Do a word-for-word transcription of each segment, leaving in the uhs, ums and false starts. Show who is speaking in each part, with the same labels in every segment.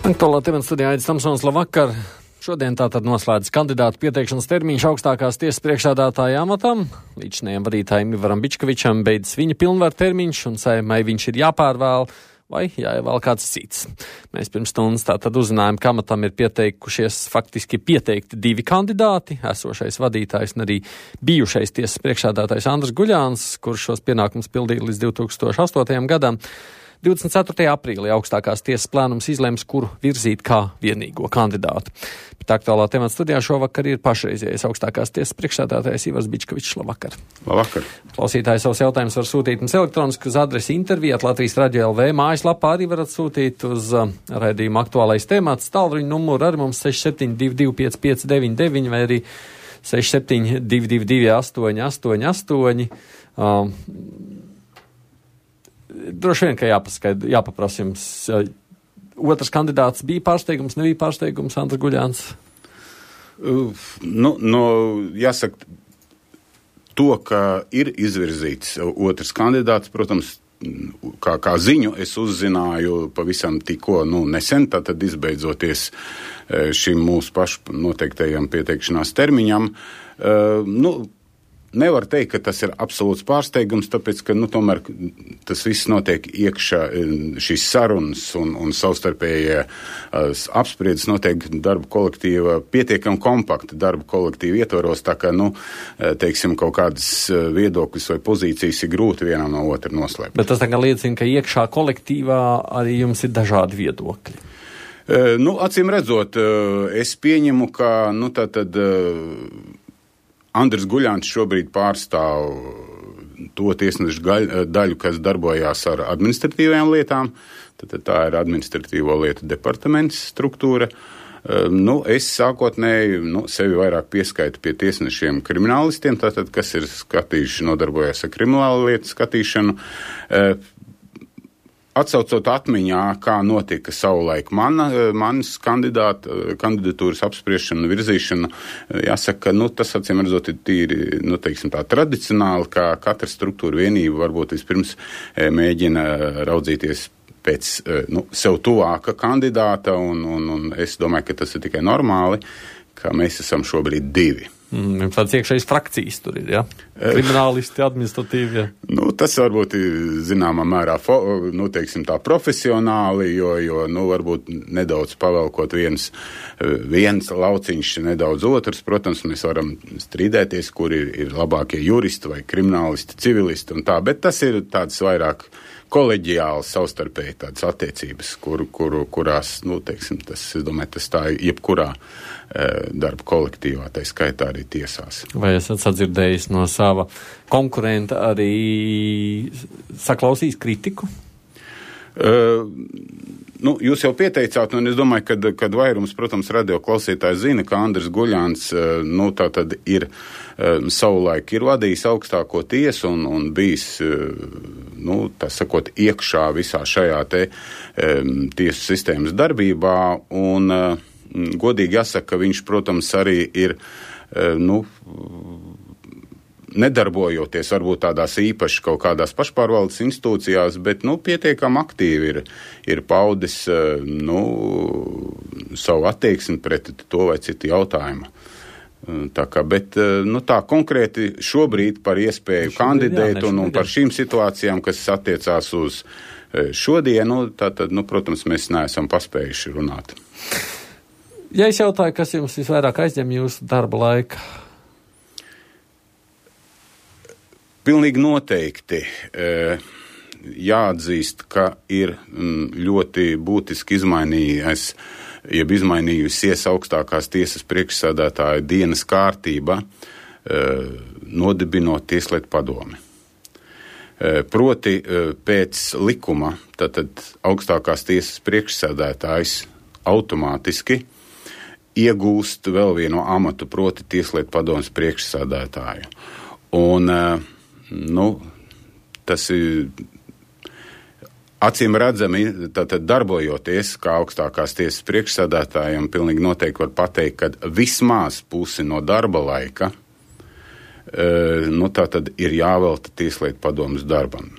Speaker 1: Aktuālā temata studijā Aidis Tamsons, labvakar. Šodien tātad noslēdz kandidātu pieteikšanas termiņš augstākās tiesas priekšsēdētāja amatam. Līdzinējiem vadītājiem Ivaram Bičkevičam beidzas viņa pilnvaru termiņš, un Saeimai viņš ir jāpārvēl vai jāievēl kāds cits. Mēs pirms stundas tātad uzzinājām, ka amatam ir pieteikušies faktiski pieteikti divi kandidāti, esošais vadītājs un arī bijušais tiesas priekšsēdētājs Andris Guļāns, kurš šos pienākumus pildīja līdz divi tūkstoši astotajam gadam. divdesmit ceturtajā aprīlī augstākās tiesas plēnums izlems, kuru virzīt kā vienīgo kandidātu. Bet aktuālā temata studijā šovakar ir pašreizējais augstākās tiesas priekšsēdētājs Ivars Bičkevičs. Labvakar.
Speaker 2: Labvakar.
Speaker 1: Klausītāji savus jautājumus var sūtīt mums elektroniski uz adresi intervija at Latvijas radio L V. Mājaslapā arī varat sūtīt uz uh, raidījuma aktuālais temats. Tālruņa numuru ar mums seši septiņi divi divi pieci pieci deviņi deviņi vai arī seši septiņi divi divi divi astoņi astoņi astoņi. Uh, Droši vien, ka jāpaskaid, jāpaprasa jums. Otrs kandidāts bija pārsteigums, nebija pārsteigums, Andris Guļāns?
Speaker 2: Uh, nu, no, jāsaka, to, ka ir izvirzīts otrs kandidāts, protams, kā, kā ziņu es uzzināju pavisam tikko, nu, nesen, tātad izbeidzoties šim mūsu pašu noteiktajam pieteikšanās termiņam. Uh, nu, Nevar teikt, ka tas ir absolūts pārsteigums, tāpēc, ka, nu, tomēr tas viss notiek iekšā, šīs sarunas un, un savstarpējie uh, apspriedzes notiek darba kolektīva, pietiekam kompakta darba kolektīva ietvaros, tā kā, nu, teiksim, kaut kādas viedokļas vai pozīcijas ir grūti vienam no otra noslēpt.
Speaker 1: Bet tas tagad liecina, ka iekšā kolektīvā arī jums ir dažādi viedokļi.
Speaker 2: Uh, nu, acīm redzot, uh, es pieņemu, ka, nu, tā tad... Uh, Andris Guļāns šobrīd pārstāv to tiesnešu daļu, kas darbojās ar administratīvajām lietām. Tad tā ir administratīvo lietu departaments struktūra. Nu, es sākotnēji nu, sevi vairāk pieskaitu pie tiesnešiem kriminālistiem, tātad, kas ir skatījuši, nodarbojās ar kriminālu lietu skatīšanu. Atsaucot atmiņā, kā notika savulaik mana, manas kandidāta, kandidatūras apspriešana, virzīšana, jāsaka, nu, tas acīm redzot ir tīri, nu, teiksim tā, tradicionāli, kā katra struktūra vienība varbūt vispirms mēģina raudzīties pēc, nu, sev tuvāka kandidāta, un, un, un es domāju, ka tas ir tikai normāli, ka mēs esam šobrīd divi.
Speaker 1: Mm, tāds iekšējais frakcijas tur ir, ja? Kriminālisti, administratīvi, ja?
Speaker 2: Nu, tas varbūt ir zināmā mērā, fo, nu, teiksim tā, profesionāli, jo, jo, nu, varbūt nedaudz pavelkot viens, viens lauciņš, nedaudz otrs. Protams, mēs varam strīdēties, kur ir, ir labākie juristi vai kriminālisti, civilisti un tā, bet tas ir tāds vairāk koleģiāls, savstarpēji tādas attiecības, kur, kur, kurās, nu, teiksim, tas, es domāju, tas tā jebkurā e, darba kolektīvā, tā skaitā arī tiesās.
Speaker 1: Vai esat sadzirdējis no sava konkurenta arī saklausījis kritiku?
Speaker 2: Uh, nu, jūs jau pieteicāt, un es domāju, kad, kad vairums, protams, radio klausītājs zina, ka Andris Guļāns, uh, nu, tā tad ir uh, savulaik ir vadījis augstāko tiesu un, un bijis, uh, nu, tā sakot, iekšā visā šajā te um, tiesu sistēmas darbībā, un uh, godīgi jāsaka, ka viņš, protams, arī ir, uh, nu, nedarbojoties varbūt tādās īpaši kaut kādās pašpārvaldes institūcijās, bet, nu, pietiekam aktīvi ir, ir paudis, nu, savu attieksmi pret to vai citu jautājumu. Tā kā, bet, nu, tā konkrēti šobrīd par iespēju šobrīd, kandidēt jā, un, un par šīm situācijām, kas attiecās uz šodienu, tātad, nu, protams, mēs neesam paspējuši runāt.
Speaker 1: Ja es jautāju, kas jums visvairāk aizņem jūsu darba laika?
Speaker 2: Pilnīgi noteikti e, jāatzīst, ka ir m, ļoti būtiski izmainījies, jeb izmainījusies augstākās tiesas priekšsēdētāja dienas kārtība, e, nodibinot tieslietu padomi. E, proti e, pēc likuma, tātad augstākās tiesas priekšsēdētājs automātiski iegūst vēl vienu amatu, proti tieslietu padomes priekšsēdētāju. Un e, Nu, tas ir Acīm redzami, tātad darbojoties, kā augstākās tiesas priekšsēdētājiem, pilnīgi noteikti var pateikt, ka vismaz pusi no darba laika, nu, tātad ir jāvelta Tieslietu padomes darbam.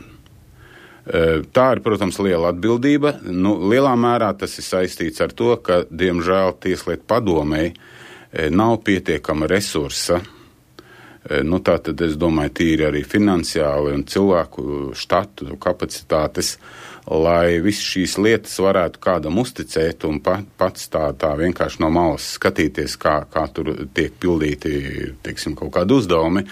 Speaker 2: Tā ir, protams, liela atbildība. Nu, lielā mērā tas ir saistīts ar to, ka, diemžēl, Tieslietu padomei nav pietiekama resursa. Nu, tātad, es domāju, tīri arī finansiāli un cilvēku štatu kapacitātes, lai visas šīs lietas varētu kādam uzticēt un pa, pats tā, tā vienkārši no malas skatīties, kā, kā tur tiek pildīti, teiksim, kaut kādi uzdevumi.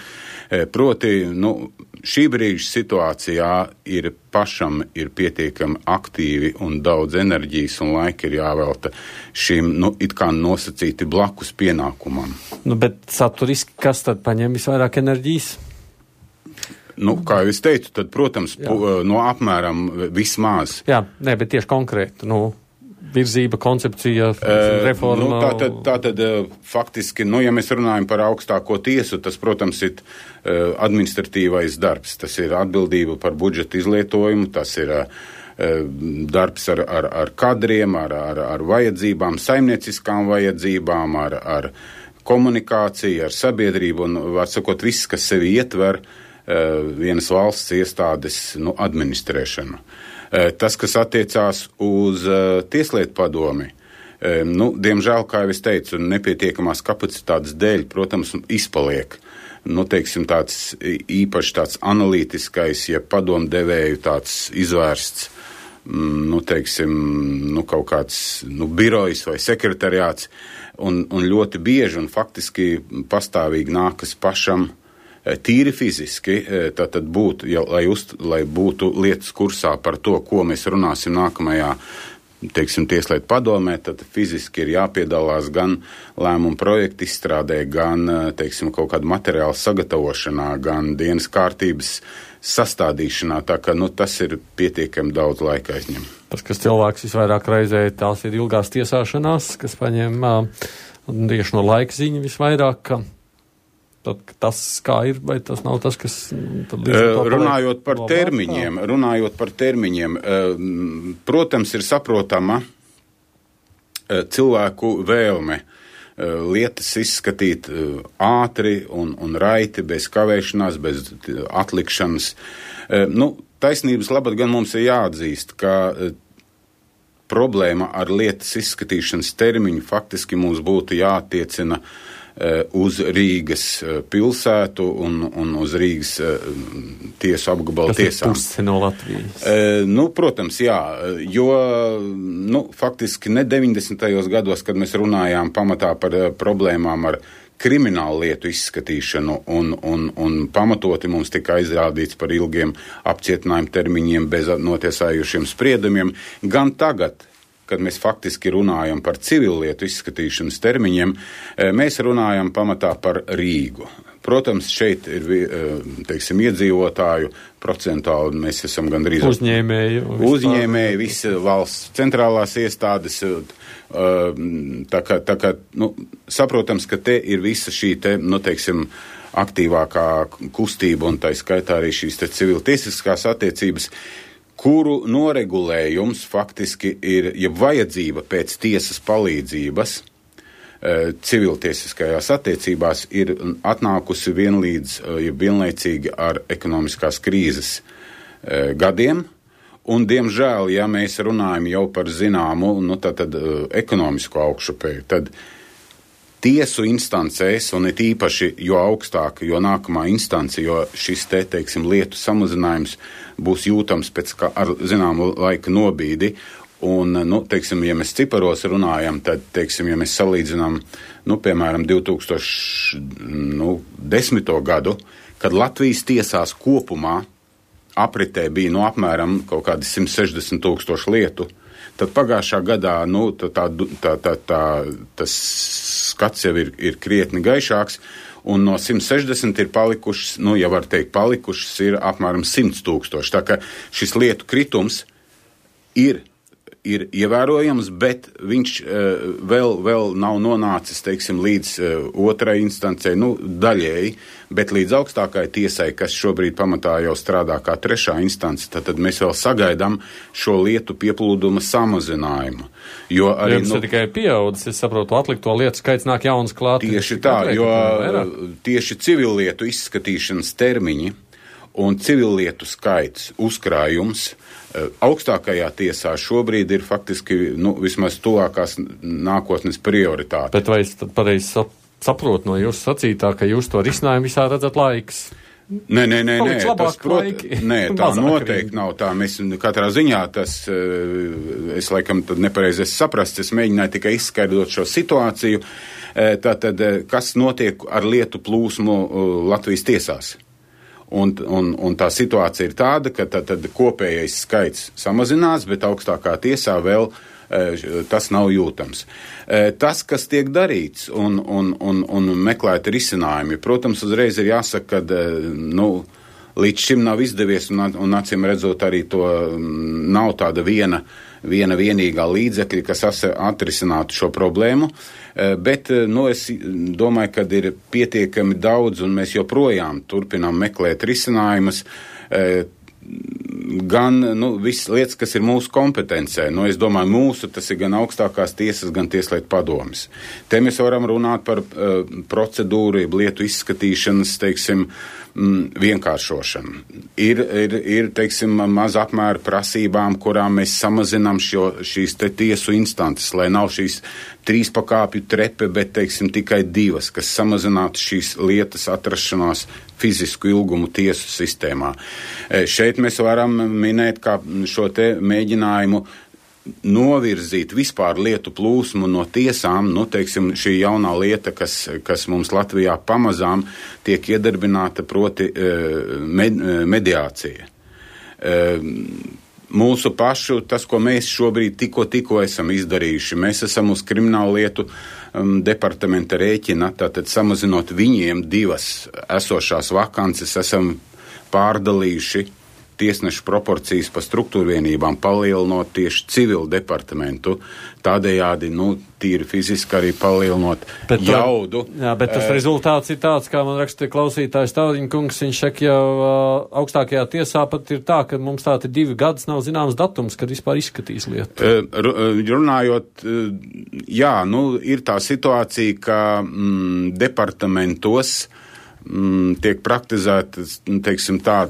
Speaker 2: Proti, nu, šī brīža situācijā ir pašam ir pietiekami aktīvi un daudz enerģijas un laika ir jāvelta šim, nu, it kā nosacīti blakus pienākumam.
Speaker 1: Nu, bet saturiski, kas tad paņem visvairāk enerģijas?
Speaker 2: Nu, kā jau es teicu, tad, protams, pu, no apmēram vismaz.
Speaker 1: Jā, nē, bet tieši konkrēti, nu, virzība, koncepcija, reforma.
Speaker 2: Nu, tā tad, tā tad faktiski, nu, ja mēs runājam par augstāko tiesu, tas, protams, ir uh, administratīvais darbs. Tas ir atbildība par budžeta izlietojumu, tas ir uh, darbs ar, ar, ar kadriem, ar, ar, ar vajadzībām, saimnieciskām vajadzībām, ar, ar komunikāciju, ar sabiedrību un, var sakot, viss, kas sevi ietver vienas valsts iestādes, nu, administrēšanu. Tas, kas attiecās uz Tieslietu padomi, nu, diemžēl, kā jau es teicu, nepietiekamās kapacitātes dēļ, protams, izpaliek, nu, teiksim, tāds īpaši tāds analītiskais, ja padomdevēju tāds izvērsts, nu, teiksim, nu, kaut kāds, nu, birojs vai sekretariāts, un, un ļoti bieži un faktiski pastāvīgi nākas pašam tīri fiziski, tātad būtu, ja, lai, uz, lai būtu lietas kursā par to, ko mēs runāsim nākamajā, teiksim, Tieslietu padomē, tad fiziski ir jāpiedalās gan lēmumu projektu izstrādē, gan, teiksim, kaut kādu materiālu sagatavošanā, gan dienas kārtības sastādīšanā, tā ka, nu, tas ir pietiekami daudz laika aizņem.
Speaker 1: Tas, kas cilvēks visvairāk reizē, tās ir ilgās tiesāšanās, kas paņem tieši no laika ziņa visvairāk, ka tad tas, kā ir, vai tas nav tas, kas... Tad
Speaker 2: runājot par termiņiem, runājot par termiņiem, protams, ir saprotama cilvēku vēlme lietas izskatīt ātri un, un raiti, bez kavēšanās, bez atlikšanas. Nu, taisnības labad gan mums ir jāatzīst, ka problēma ar lietas izskatīšanas termiņu faktiski mums būtu jāattiecina uz Rīgas pilsētu un, un uz Rīgas tiesu apgabalu tiesām.
Speaker 1: Tas ir pusi no Latvijas.
Speaker 2: E, nu, protams, jā, jo, nu, faktiski ne deviņdesmitajos gados, kad mēs runājām pamatā par problēmām ar kriminālu lietu izskatīšanu un, un, un pamatoti mums tika aizrādīts par ilgiem apcietinājumu termiņiem bez notiesājušiem spriedumiem, gan tagad, kad mēs faktiski runājam par civilietu izskatīšanas termiņiem, mēs runājam pamatā par Rīgu. Protams, šeit ir, teiksim, iedzīvotāju procentuāli, mēs esam gandrīz...
Speaker 1: Uzņēmēju.
Speaker 2: Uzņēmēji, visi valsts centrālās iestādes, tā kā, tā kā, nu, saprotams, ka te ir visa šī te, nu, teiksim, aktīvākā kustība un tā skaitā arī šīs te civiltiesiskās attiecības, kuru noregulējums faktiski ir, ja vajadzība pēc tiesas palīdzības civiltiesiskajās attiecībās ir atnākusi vienlīdz, ja vienlaicīgi ar ekonomiskās krīzes gadiem, un, diemžēl, ja mēs runājam jau par zināmu, nu, tātad ekonomisko augšupēju, tad tiesu instancēs, un it īpaši, jo augstāk, jo nākamā instance, jo šis te, teiksim, lietu samazinājums būs jūtams pēc kā, ar zināmu laika nobīdi, un, nu, teiksim, ja mēs ciparos runājam, tad, teiksim, ja mēs salīdzinām, nu, piemēram, divi tūkstoši desmito gadu, kad Latvijas tiesās kopumā apritē bija, nu, apmēram kaut kādi simt sešdesmit tūkstoši lietu, tad pagājušā gadā, nu, tā, tā, tā, tā, tā, tas skats jau ir, ir krietni gaišāks, un no simt sešdesmit ir palikušas, nu, ja var teikt, palikušas ir apmēram simt tūkstoši. Tā ka šis lietu kritums ir ir ievērojams, bet viņš uh, vēl, vēl nav nonācis, teiksim, līdz uh, otrai instancei, nu, daļēji, bet līdz augstākai tiesai, kas šobrīd pamatā jau strādā kā trešā instance, tad, tad mēs vēl sagaidām šo lietu pieplūduma samazinājumu. Jo arī,
Speaker 1: Jums nu, ir tikai pieaudzis, es saprotu, atlikto lietu skaits nāk jaunas klāt.
Speaker 2: Tieši tā, jo tieši civillietu izskatīšanas termiņi un civillietu skaits, uzkrājums augstākajā tiesā šobrīd ir faktiski, nu, vismaz tuvākās nākotnes prioritāte.
Speaker 1: Bet vai es tad pareizi saprotu no jūsu sacītā, ka jūs to risinājumu visā redzat laiks?
Speaker 2: Nē, nē, nē, nē, tas, prot, nē tā noteikti nav tā. Mēs katrā ziņā tas, es laikam tad nepareizi esmu saprasts, es mēģināju tikai izskaidrot šo situāciju. Tātad, kas notiek ar lietu plūsmu Latvijas tiesās? Un, un, un tā situācija ir tāda, ka tad, tad kopējais skaits samazinās, bet augstākā tiesā vēl e, tas nav jūtams. E, tas, kas tiek darīts un, un, un, un meklēti risinājumi, protams, uzreiz ir jāsaka, ka e, nu, līdz šim nav izdevies un, un acīm redzot arī to nav tāda viena, viena vienīgā līdzekļa, kas atrisinātu šo problēmu. Bet, nu, es domāju, ka ir pietiekami daudz, un mēs joprojām turpinām meklēt risinājumus, gan, nu, visas lietas, kas ir mūsu kompetencē. Nu, es domāju, mūsu, tas ir gan augstākās tiesas, gan tieslietu padomes. Te mēs varam runāt par uh, procedūru, lietu izskatīšanas, teiksim, mm, vienkāršošanu. Ir, ir, ir, teiksim, maz apmēra prasībām, kurām mēs samazinām šo, šīs te tiesu instances, lai nav šīs trīs pakāpju trepe, bet, teiksim, tikai divas, kas samazinātu šīs lietas atrašanās fizisku ilgumu tiesu sistēmā. E, šeit mēs varam minēt kā šo te mēģinājumu novirzīt vispār lietu plūsmu no tiesām, nu, teiksim, šī jaunā lieta, kas, kas mums Latvijā pamazām tiek iedarbināta, proti med, mediācija. Mūsu pašu, tas, ko mēs šobrīd tikko, tikko esam izdarījuši, mēs esam uz kriminālu lietu um, departamenta rēķina, tātad samazinot viņiem divas esošās vakances, esam pārdalījuši tiesnešu proporcijas pa struktūrvienībām, palielinot tieši civilu departamentu, tādējādi, nu, tīri fiziski arī palielinot bet, jaudu.
Speaker 1: Jā, bet tas e... rezultāts ir tāds, kā man raksta klausītājs Tauriņkungs, viņš saka, jau uh, augstākajā tiesā pat ir tā, ka mums tātad divi gadus nav zināms datums, kad vispār izskatīs lietu.
Speaker 2: E, runājot, jā, nu, ir tā situācija, ka mm, departamentos mm, tiek praktizētas, teiksim tā,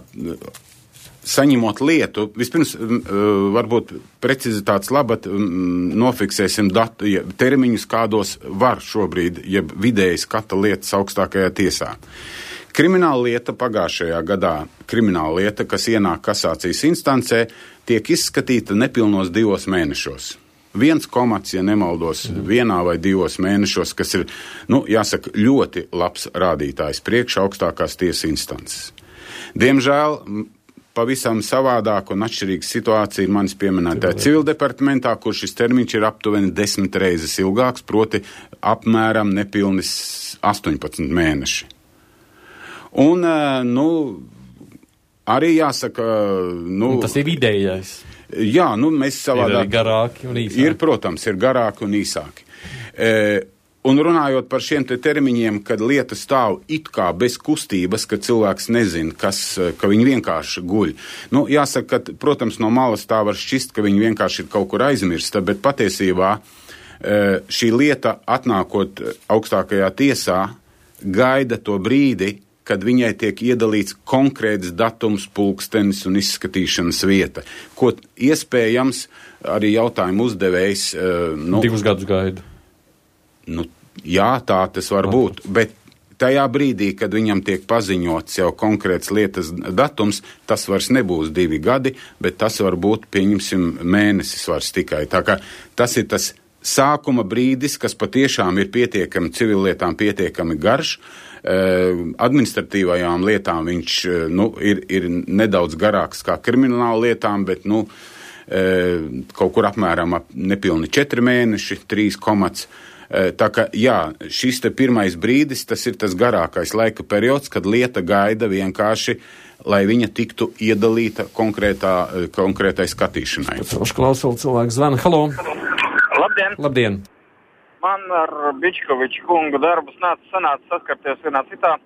Speaker 2: saņemot lietu, vispirms varbūt precizitātes labad nofiksēsim datu, ja, termiņus, kādos var šobrīd, ja vidēji skata lietas augstākajā tiesā. Krimināla lieta pagājušajā gadā, krimināla lieta, kas ienāk kasācijas instancē, tiek izskatīta nepilnos divos mēnešos. Viens komats, ja nemaldos, mm. vienā vai divos mēnešos, kas ir, nu, jāsaka, ļoti labs rādītājs priekš augstākās tiesas instances. Diemžēl pavisam savādāk un atšķirīga situācija ir manis pieminētā civildepartamentā, kur šis termiņš ir aptuveni desmit reizes ilgāks, proti apmēram nepilnis astoņpadsmit mēneši. Un, nu, arī jāsaka, nu...
Speaker 1: Un tas ir vidējais.
Speaker 2: Jā, nu, mēs savādāk...
Speaker 1: Ir garāki un īsāki.
Speaker 2: Ir, protams, ir garāki un īsāki. E, Un runājot par šiem te termiņiem, kad lieta stāv it kā bez kustības, ka cilvēks nezina, kas, ka viņi vienkārši guļ. Nu, jāsaka, ka, protams, no malas tā var šķist, ka viņi vienkārši ir kaut kur aizmirsta, bet patiesībā šī lieta atnākot augstākajā tiesā gaida to brīdi, kad viņai tiek iedalīts konkrēts datums, pulkstenis un izskatīšanas vieta, ko iespējams arī jautājumu uzdevējs... Nu,
Speaker 1: Divus gadus gaida.
Speaker 2: Nu, jā, tā tas var būt, bet tajā brīdī, kad viņam tiek paziņots jau konkrēts lietas datums, tas vairs nebūs divi gadi, bet tas var būt, pieņemsim, mēnesis vairs tikai. Tā kā tas ir tas sākuma brīdis, kas patiešām ir pietiekami civillietām pietiekami garš, administratīvajām lietām viņš, nu, ir, ir nedaudz garāks kā krimināla lietām, bet, nu, kaut kur apmēram ap nepilni četri mēneši, trīs komats. Tā kā, jā, šis te pirmais brīdis, tas ir tas garākais laika periods, kad lieta gaida vienkārši lai viņa tiktu iedalīta konkrētā, konkrētai skatīšanai.
Speaker 1: Pēc klausuli cilvēku zvana. Halo!
Speaker 3: Labdien!
Speaker 1: Labdien!
Speaker 3: Man ar Bičkoviču kungu darbus nāca sanāca saskarties vienā citā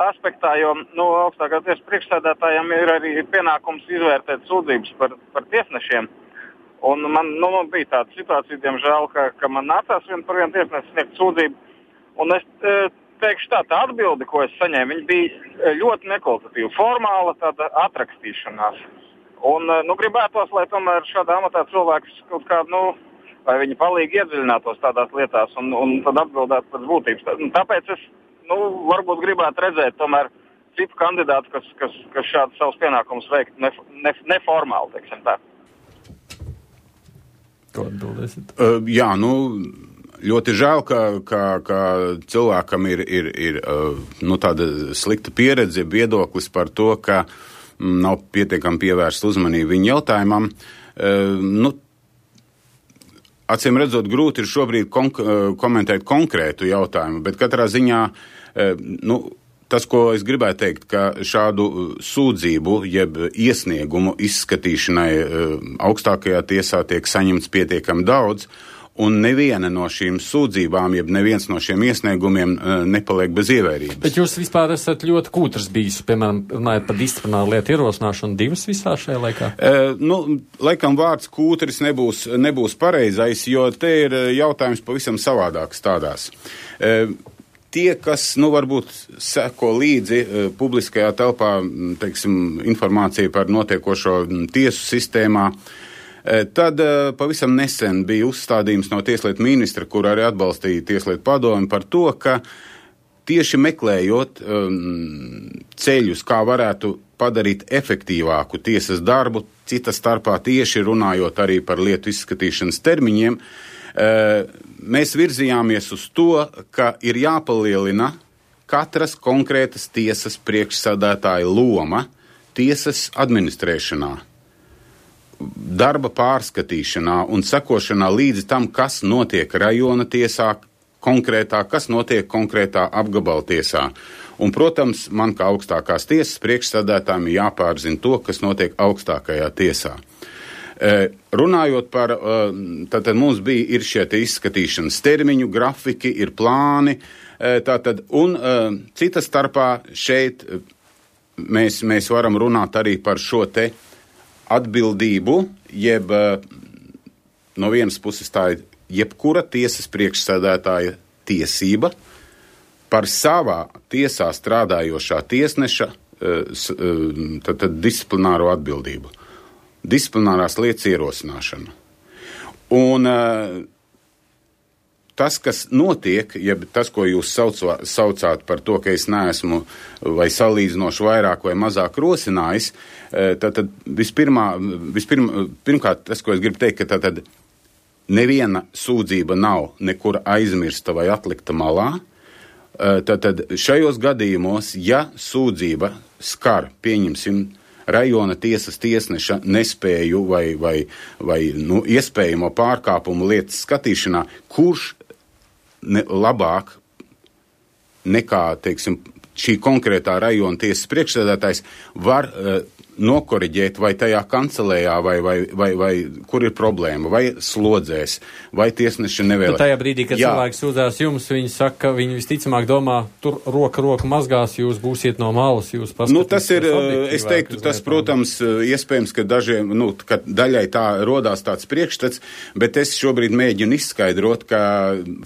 Speaker 3: aspektā, jo nu, augstākā tiesas priekšsēdētājiem ir arī pienākums izvērtēt sūdzības par, par tiesnešiem. Un man, nu, man bija tāda situācija, diemžēl, ka, ka man nācās vien par vienu tiesnesi sniegt sūdzību. Un es teikšu tā, tā atbildi, ko es saņēmu, viņa bija ļoti nekvalitatīva, formāla tāda atrakstīšanās. Un, nu, gribētos, lai tomēr šādā amatā cilvēks kaut kādu, nu, vai viņi palīgi iedziļinātos tādās lietās un, un tad atbildētu pēc būtības. Tāpēc es, nu, varbūt gribētu redzēt tomēr citu kandidātu, kas, kas, kas šādu savus pienākumus veikt ne, ne, neformāli, teiksim tā.
Speaker 1: Ko atbildēsit?
Speaker 2: Uh, jā, nu, ļoti žēl, ka, ka, ka cilvēkam ir, ir, ir uh, nu, tāda slikta pieredze, viedoklis par to, ka mm, nav pietiekami pievērst uzmanību viņa jautājumam. Uh, nu, acīm redzot, grūti ir šobrīd konk- komentēt konkrētu jautājumu, bet katrā ziņā, uh, nu, tas, ko es gribētu teikt, ka šādu sūdzību, jeb iesniegumu izskatīšanai augstākajā tiesā tiek saņemts pietiekami daudz, un neviena no šīm sūdzībām, jeb neviens no šiem iesniegumiem nepaliek bez ievērības.
Speaker 1: Bet jūs vispār esat ļoti kūtrs bijis, piemēram, runājot par disciplināru lietu ierosināšanu divas visā šajā laikā?
Speaker 2: E, nu, laikam vārds kūtris nebūs, nebūs pareizais, jo te ir jautājums pavisam savādāks tādās. E, Tie, kas, nu, varbūt seko līdzi uh, publiskajā telpā, teiksim, informāciju par notiekošo tiesu sistēmā, uh, tad uh, pavisam nesen bija uzstādījums no tieslietu ministra, kur arī atbalstīja tieslietu padomi par to, ka tieši meklējot um, ceļus, kā varētu padarīt efektīvāku tiesas darbu, cita starpā tieši runājot arī par lietu izskatīšanas termiņiem, uh, mēs virzījāmies uz to, ka ir jāpalielina katras konkrētas tiesas priekšsēdētāja loma tiesas administrēšanā, darba pārskatīšanā un sekošanā līdzi tam, kas notiek rajona tiesā konkrētā, kas notiek konkrētā apgabala tiesā. Un, protams, man kā augstākās tiesas priekšsēdētājiem jāpārzina to, kas notiek augstākajā tiesā. Runājot par, tātad mums bija ir šie te izskatīšanas termiņu, grafiki, ir plāni, tātad, un cita starpā šeit mēs, mēs varam runāt arī par šo te atbildību, jeb no vienas puses tā ir jebkura tiesas priekšsēdētāja tiesība par savā tiesā strādājošā tiesneša tātad disciplināro atbildību. Disciplinārās lietas ierosināšana. Un uh, tas, kas notiek, ja tas, ko jūs saucā, saucāt par to, ka es neesmu vai salīdzinoši vairāk vai mazāk rosinājis, uh, tad, tad vispirmā, vispirmā, pirmkārt, tas, ko es gribu teikt, ka tad neviena sūdzība nav nekur aizmirsta vai atlikta malā. Uh, tad, tad šajos gadījumos, ja sūdzība skar, pieņemsim, rajona tiesas tiesneša nespēju vai, vai, vai nu, iespējamo pārkāpumu lietas skatīšanā, kurš ne, labāk nekā, teiksim, šī konkrētā rajona tiesas priekšsēdētājs var uh, nokoriģēt vai tajā kancelējā, vai, vai, vai, vai kur ir problēma, vai slodzēs, vai tiesneši nevēlas.
Speaker 1: Bet tajā brīdī, kad Jā. cilvēks sūdzās jums, viņi saka, ka viņi visticamāk domā, tur roka roka mazgās, jūs būsiet no malas, jūs paskatīsiet. Nu, tas ir,
Speaker 2: es teiktu, tas, protams, iespējams, ka dažiem, nu, ka daļai tā rodās tāds priekšstats, bet es šobrīd mēģinu izskaidrot, ka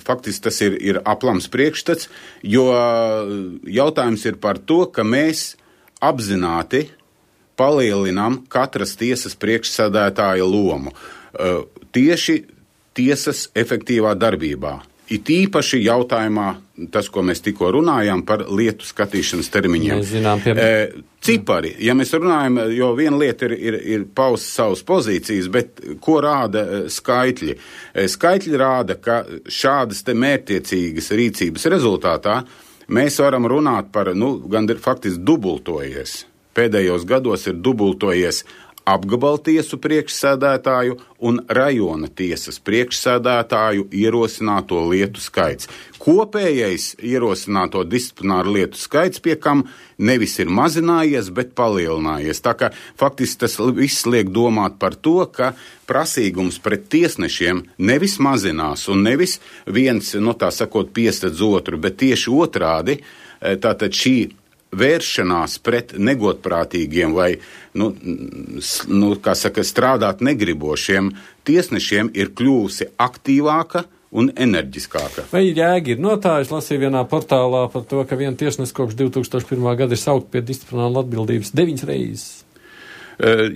Speaker 2: faktiski tas ir, ir aplams priekšstats, jo jautājums ir par to, ka mēs apzināti palielinām katras tiesas priekšsēdētāja lomu uh, tieši tiesas efektīvā darbībā. It īpaši jautājumā, tas, ko mēs tikko runājām par lietu skatīšanas termiņiem.
Speaker 1: Mēs zinām, piemēram.
Speaker 2: E, cipari, ja mēs runājam, jo viena lieta ir, ir, ir paust savas pozīcijas, bet ko rāda skaitļi? E, skaitļi rāda, ka šādas te mērķtiecīgas rīcības rezultātā mēs varam runāt par, nu, gan faktiski dubultojies. Pēdējos gados ir dubultojies apgabaltiesu priekšsēdētāju un rajona tiesas priekšsēdētāju ierosināto lietu skaits. Kopējais ierosināto disciplināru lietu skaits, pie kam nevis ir mazinājies, bet palielinājies. Tā kā faktiski tas viss liek domāt par to, ka prasīgums pret tiesnešiem nevis mazinās un nevis viens, no tā sakot, piestedz otru, bet tieši otrādi, tātad šī vēršanās pret negodprātīgiem vai, nu, nu, kā saka, strādāt negribošiem tiesnešiem ir kļūsi aktīvāka un enerģiskāka.
Speaker 1: Vai jēga ir notājis, lasīju vienā portālā par to, ka viena tiesnes kopš divi tūkstoši pirmā gada ir saukt pie disciplināla atbildības deviņas reizes?
Speaker 2: Uh,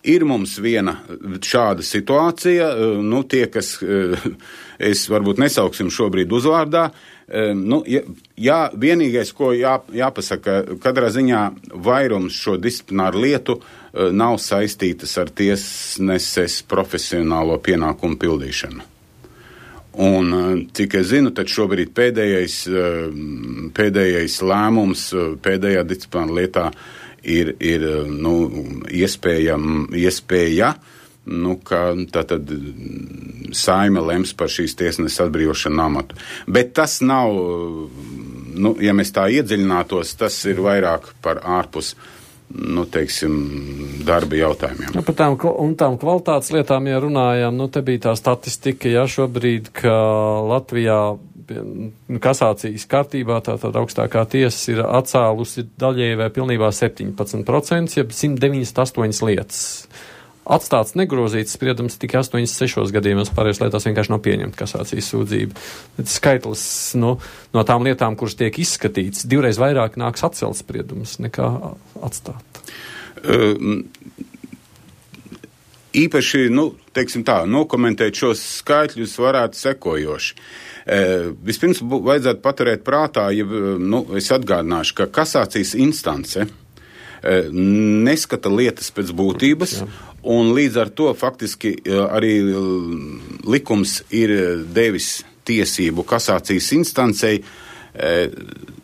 Speaker 2: ir mums viena šāda situācija, uh, nu, tie, kas, uh, es varbūt nesauksim šobrīd uzvārdā, uh, nu, ja, jā, vienīgais, ko jā, jāpasaka, katrā ziņā vairums šo disciplināru lietu uh, nav saistītas ar tiesneses profesionālo pienākumu pildīšanu. Un, cik es zinu, tad šobrīd pēdējais, uh, pēdējais lēmums, uh, pēdējā disciplināra lietā ir, ir nu, iespēja, iespēja nu, ka tātad saime lems par šīs tiesneses atbrīvošanu amatu. Bet tas nav, nu, ja mēs tā iedziļinātos, tas ir vairāk par ārpus, nu, teiksim, darba jautājumiem.
Speaker 1: Ja, par tām, un tām kvalitātes lietām, ja runājām, nu, te bija tā statistika, ja šobrīd, ka Latvijā kasācijas kārtībā, tātad augstākā tiesa ir atcēlusi daļēji vai pilnībā septiņpadsmit procenti, jeb simt deviņdesmit astoņas lietas. Atstāts negrozīts spriedums tikai astoņdesmit sešos gadījumos, pārējās lietās vienkārši nav pieņemta kasācijas sūdzība. Bet skaitlis nu, no tām lietām, kuras tiek izskatīts, divreiz vairāk nāks atcelt spriedumus nekā atstāt.
Speaker 2: Um. Īpaši, nu, teiksim tā, nokomentēt šos skaitļus varētu sekojoši. E, vispirms bū, vajadzētu paturēt prātā, ja, nu, es atgādināšu, ka kasācijas instance e, neskata lietas pēc būtības, jā. Un līdz ar to faktiski arī likums ir devis tiesību kasācijas instancei e,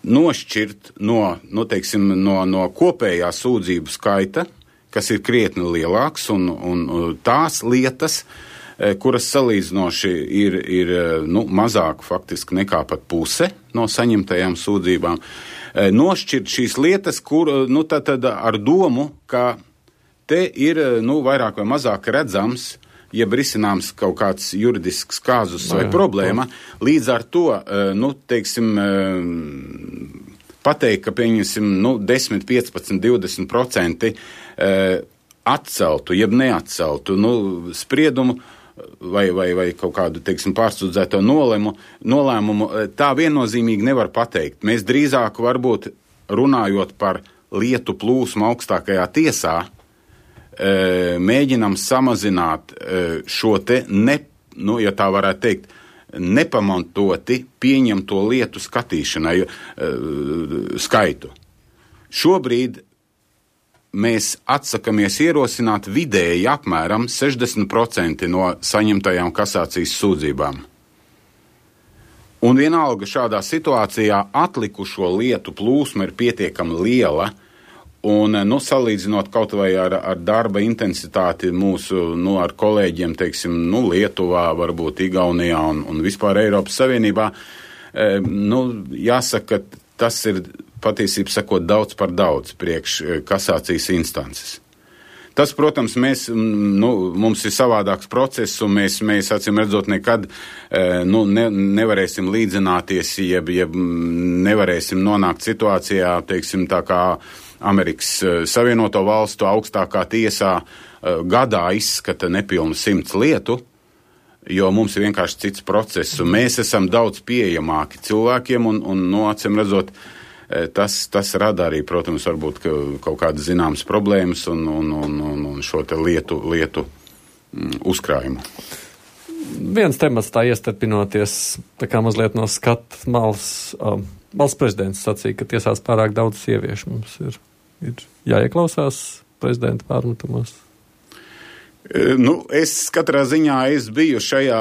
Speaker 2: nošķirt no, nu, teiksim, no, no kopējā sūdzību skaita, kas ir krietni lielāks, un, un tās lietas, kuras salīdzinoši ir, ir nu, mazāk faktiski nekā pat puse no saņemtajām sūdzībām, nošķirt šīs lietas, kur, nu, tad, tad ar domu, ka te ir, nu, vairāk vai mazāk redzams, jeb risināms kaut kāds juridisks kāzus vai problēma, līdz ar to, nu, teiksim, pateikt, ka, pieņemsim, nu, desmit, piecpadsmit, divdesmit procenti e, atceltu, jeb neatceltu, nu, spriedumu vai, vai, vai kaut kādu, teiksim, pārsūdzēto nolēmu, nolēmumu, tā viennozīmīgi nevar pateikt. Mēs drīzāk varbūt runājot par lietu plūsmu augstākajā tiesā, e, mēģinam samazināt e, šo te, ne, nu, ja tā varētu teikt, nepamantoti pieņemto lietu skatīšanai uh, skaitu. Šobrīd mēs atsakamies ierosināt vidēji apmēram sešdesmit procenti no saņemtajām kasācijas sūdzībām. Un vienalga šādā situācijā atlikušo lietu plūsma ir pietiekami liela, un, nu, salīdzinot kaut vai ar, ar darba intensitāti mūsu, nu, ar kolēģiem, teiksim, nu, Lietuvā, varbūt Igaunijā un, un vispār Eiropas Savienībā, e, nu, jāsaka, ka tas ir patiesībā sakot daudz par daudz priekš kasācijas instances. Tas, protams, mēs, nu, mums ir savādāks process, un mēs, mēs acīm redzot, nekad nu, ne, nevarēsim līdzināties, jeb, jeb nevarēsim nonākt situācijā, teiksim, tā kā Amerikas Savienoto Valstu augstākā tiesā gadā izskata nepilnu simts lietu, jo mums ir vienkārši cits process, un mēs esam daudz pieejamāki cilvēkiem, un, un nu, acīm redzot, Tas, tas rada arī, protams, varbūt ka kaut kādas zināmas problēmas un, un, un, un šo te lietu, lietu mm, uzkrājumu.
Speaker 1: Viens temats tā iestarpinoties, tā kā mazliet no skata malas, um, valsts prezidents sacīja, ka tiesās pārāk daudz sieviešu mums ir, ir jāieklausās prezidenta pārmetumos.
Speaker 2: Nu, es katrā ziņā es biju šajā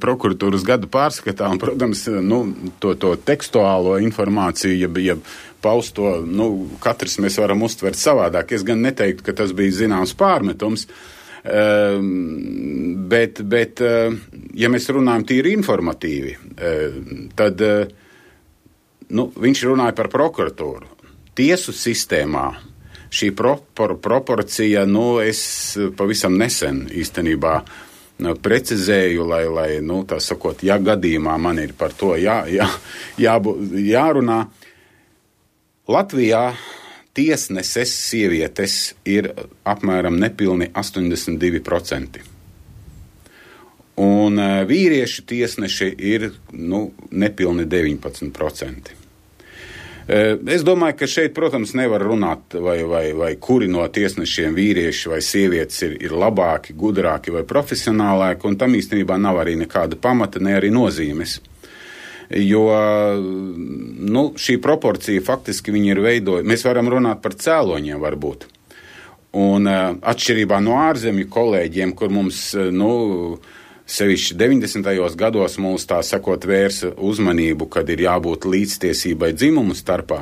Speaker 2: prokuratūras gada pārskatā, un, protams, nu, to, to tekstuālo informāciju, ja, ja pausto, nu, katrs mēs varam uztvert savādāk. Es gan neteiktu, ka tas bija zināms pārmetums, uh, bet, bet uh, ja mēs runājam tīri informatīvi, uh, tad uh, nu, viņš runāja par prokuratūru. Tiesu sistēmā šī propor, proporcija, nu, es pavisam nesen īstenībā nu, precizēju, lai, lai, nu, tā sakot, ja gadījumā man ir par to jā, jā, jābū, jārunā. Latvijā tiesneses sievietes ir apmēram nepilni astoņdesmit divi procenti. Un vīrieši tiesneši ir, nu, nepilni deviņpadsmit procenti. Es domāju, ka šeit, protams, nevar runāt, vai, vai, vai kuri no tiesnešiem vīrieši vai sievietes ir, ir labāki, gudrāki vai profesionālāki, un tam īstenībā nav arī nekāda pamata, ne arī nozīmes. Jo nu, šī proporcija faktiski viņi ir veidojusi. Mēs varam runāt par cēloņiem varbūt. Un atšķirībā no ārzemju kolēģiem, kur mums, nu, sevišķi deviņdesmitajos gados mums tā sakot vērsa uzmanību, kad ir jābūt līdztiesībai dzimumu starpā,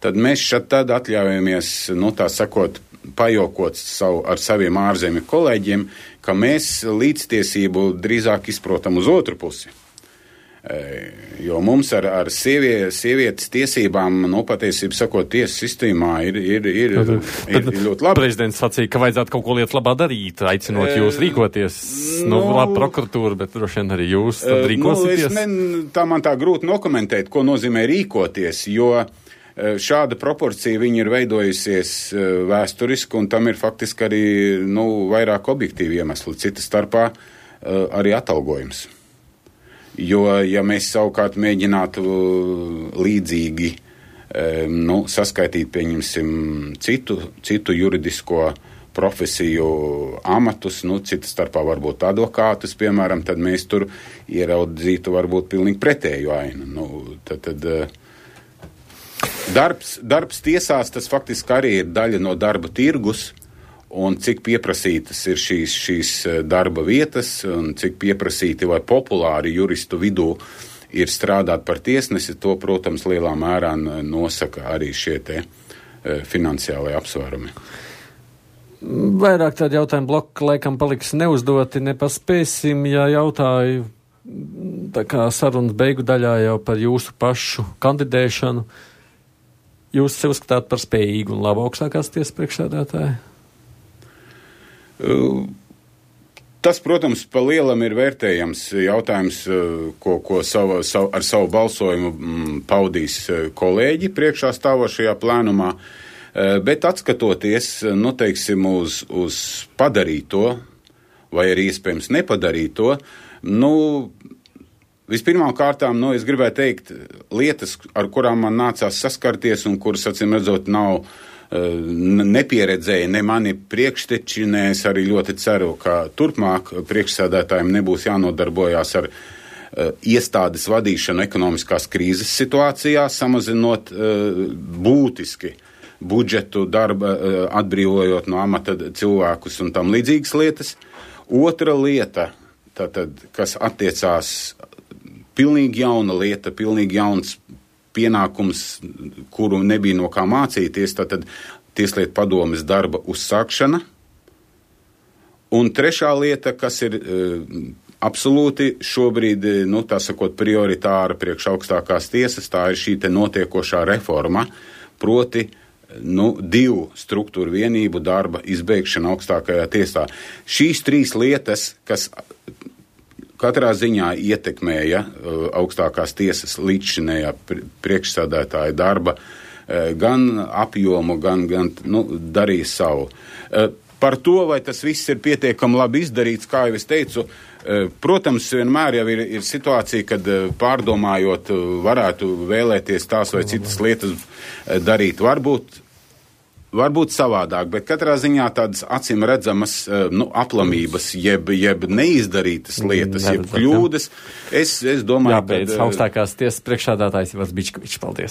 Speaker 2: tad mēs šad tad atļaujamies, nu tā sakot, pajokot savu, ar saviem ārzemju kolēģiem, ka mēs līdztiesību drīzāk izprotam uz otru pusi. Jo mums ar, ar sievie, sievietes tiesībām, nu, patiesībā sakot, tiesu sistēmā ir, ir, ir, ir, ir, ir ļoti labi.
Speaker 1: Prezidents sacīja, ka vajadzētu kaut ko lietas labā darīt, aicinot jūs rīkoties. Nu, nu labi, prokuratūra, bet droši vien arī jūs tad rīkosieties. Nu, ne, tā man tā grūti nokomentēt, ko nozīmē rīkoties, jo šāda proporcija viņa ir veidojusies vēsturiski, un tam ir faktiski arī, nu, vairāk objektīvi iemesli, cita starpā arī atalgojums. Jo, ja mēs savukārt mēģinātu līdzīgi nu, saskaitīt, pieņemsim, citu, citu juridisko profesiju amatus, nu, cita starpā varbūt advokātus, piemēram, tad mēs tur ieraudzītu varbūt pilnīgi pretēju ainu. Nu, tad, tad, darbs, darbs tiesās, tas faktiski arī ir daļa no darba tirgus, un cik pieprasītas ir šīs, šīs darba vietas, un cik pieprasīti vai populāri juristu vidū ir strādāt par tiesnesi, to, protams, lielā mērā nosaka arī šie te finansiālie apsvērumi. Vairāk tādi jautājumi bloki laikam paliks neuzdoti, nepaspēsim, ja jautāju tā kā sarunas beigu daļā jau par jūsu pašu kandidēšanu. Jūs sev uzskatāt par spējīgu un labu augstākās tiesas priekšsēdētāju?
Speaker 2: Tas, protams, pa lielam ir vērtējams jautājums, ko, ko savu, savu, ar savu balsojumu paudīs kolēģi priekšā stāvošajā plēnumā, bet atskatoties, nu, teiksim, uz, uz padarīto, vai arī iespējams nepadarīto, nu, vispirmām kārtām, nu, es gribēju teikt, lietas, ar kurām man nācās saskarties un kuras, acīm redzot, nav nepieredzēja ne mani priekšteči, ne es arī ļoti ceru, ka turpmāk priekšsēdētājiem nebūs jānodarbojās ar uh, iestādes vadīšanu ekonomiskās krīzes situācijā, samazinot uh, būtiski budžetu, darba, uh, atbrīvojot no amata cilvēkus un tam līdzīgas lietas. Otra lieta, tātad, kas attiecās pilnīgi jauna lieta, pilnīgi jauns pienākums, kuru nebija no kā mācīties, tātad Tieslietu padomes darba uzsākšana. Un trešā lieta, kas ir uh, absolūti šobrīd, nu, tā sakot, prioritāra priekš augstākās tiesas, tā ir šī te notiekošā reforma, proti, nu, divu struktūru vienību darba izbeigšana augstākajā tiesā. Šīs trīs lietas, kas katrā ziņā ietekmēja uh, augstākās tiesas līdzšinējā priekšsādātāja darba, uh, gan apjomu, gan, gan nu, darīja savu. Uh, par to, vai tas viss ir pietiekami labi izdarīts, kā jau es teicu, uh, protams, vienmēr jau ir, ir situācija, kad uh, pārdomājot, uh, varētu vēlēties tās vai citas lietas uh, darīt. Varbūt Varbūt savādāk, bet katrā ziņā tādas acīm redzamas nu, aplamības, jeb, jeb neizdarītas lietas, jeb kļūdas. Es, es domāju,
Speaker 1: jābeidz, ka... augstākās tiesas priekšsēdētājs Ivars Bičkovičs, paldies.